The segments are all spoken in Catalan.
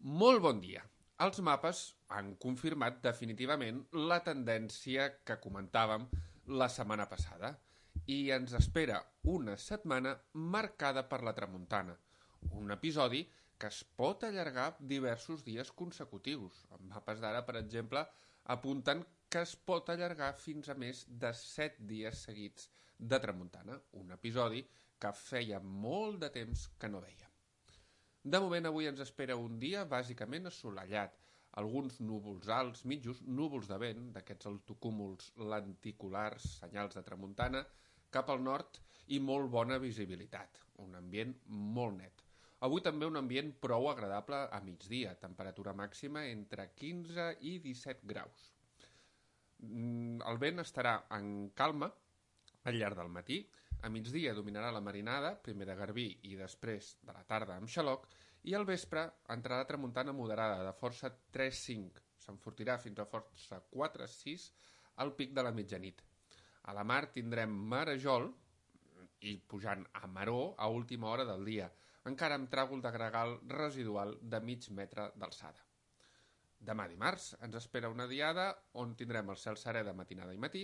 Molt bon dia. Els mapes han confirmat definitivament la tendència que comentàvem la setmana passada i ens espera una setmana marcada per la tramuntana, un episodi que es pot allargar diversos dies consecutius. Els mapes d'ara, per exemple, apunten que es pot allargar fins a més de 7 dies seguits de tramuntana, un episodi que feia molt de temps que no veiem. De moment, avui ens espera un dia bàsicament assolellat, alguns núvols alts, mitjos, núvols de vent, d'aquests altocúmuls lenticulars, senyals de tramuntana, cap al nord i molt bona visibilitat, un ambient molt net. Avui també un ambient prou agradable a migdia, temperatura màxima entre 15 i 17 graus. El vent estarà en calma al llarg del matí. A migdia dominarà la marinada, primer de garbí i després de la tarda amb xaloc, i al vespre entrarà tramuntana moderada de força 3-5, s'enfortirà fins a força 4-6 al pic de la mitjanit. A la mar tindrem marejol i pujant a maró a última hora del dia, encara amb tràgol de gregal residual de mig metre d'alçada. Demà dimarts ens espera una diada on tindrem el cel serè de matinada i matí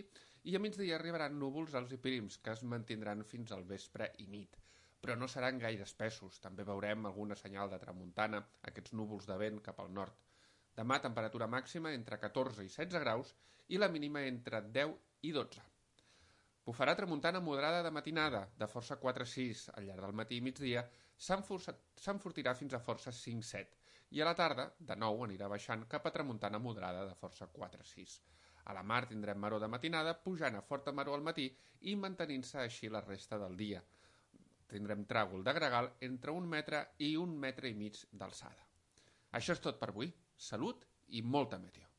i a migdia arribaran núvols alts i prims que es mantindran fins al vespre i nit, però no seran gaire espessos. També veurem alguna senyal de tramuntana, aquests núvols de vent cap al nord. Demà temperatura màxima entre 14 i 16 graus i la mínima entre 10 i 12. Bufarà tramuntana moderada de matinada, de força 4-6 al llarg del matí i migdia, s'enfortirà fins a força 5-7 i a la tarda, de nou, anirà baixant cap a tramuntana moderada de força 4-6. A la mar tindrem maró de matinada, pujant a forta maró al matí i mantenint-se així la resta del dia. Tindrem tràgol de gregal entre 1 metre i 1,5 metres d'alçada. Això és tot per avui. Salut i molta meteo.